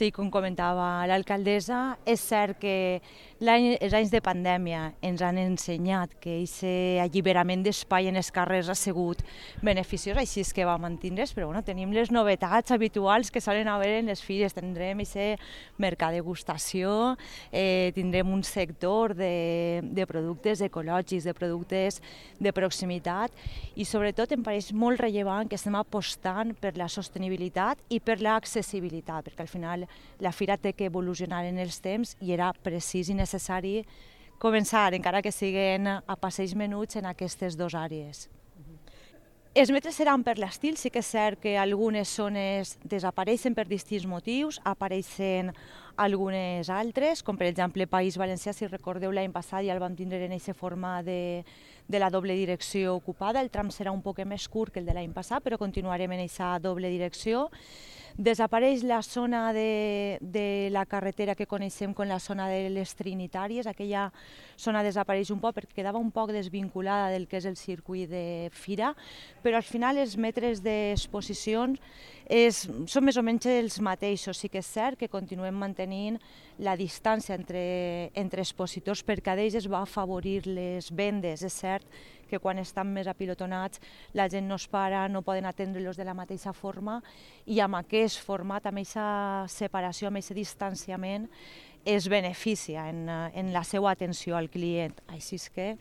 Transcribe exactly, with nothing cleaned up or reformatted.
Sí, com comentava l'alcaldessa, és cert que l'any, els anys de pandèmia ens han ensenyat que aquest alliberament d'espai en els carrers ha sigut beneficiós, així és que va mantindre's, però bueno, tenim les novetats habituals que solen haver en les fires. Tindrem aquest mercat de degustació, eh, tindrem un sector de, de productes ecològics, de productes de proximitat, i sobretot em pareix molt rellevant que estem apostant per la sostenibilitat i per l'accessibilitat, perquè al final la fira té que evolucionar en els temps i era precís i necessari començar, encara que siguin a passeig menuts, en aquestes dues àrees. Els metres seran per l'estil, sí que és cert que algunes zones desapareixen per distints motius, apareixen algunes altres, com per exemple País Valencià, si recordeu l'any passat ja el vam tindre en aquesta forma de, de la doble direcció ocupada. El tram serà un poc més curt que el de l'any passat, però continuarem en aquesta doble direcció. Desapareix la zona de, de la carretera que coneixem com la zona de les Trinitàries. Aquella zona desapareix un poc perquè quedava un poc desvinculada del que és el circuit de fira, però al final els metres d'exposicions és, són més o menys els mateixos. Sí que és cert que continuem mantenint la distància entre, entre expositors, per cada ells es va afavorir les vendes. És cert que quan estan més apilotonats la gent no es para, no poden atendre-los de la mateixa forma, i amb aquest format, amb aquesta separació, amb aquest distanciament, es beneficia en, en la seva atenció al client. Així és que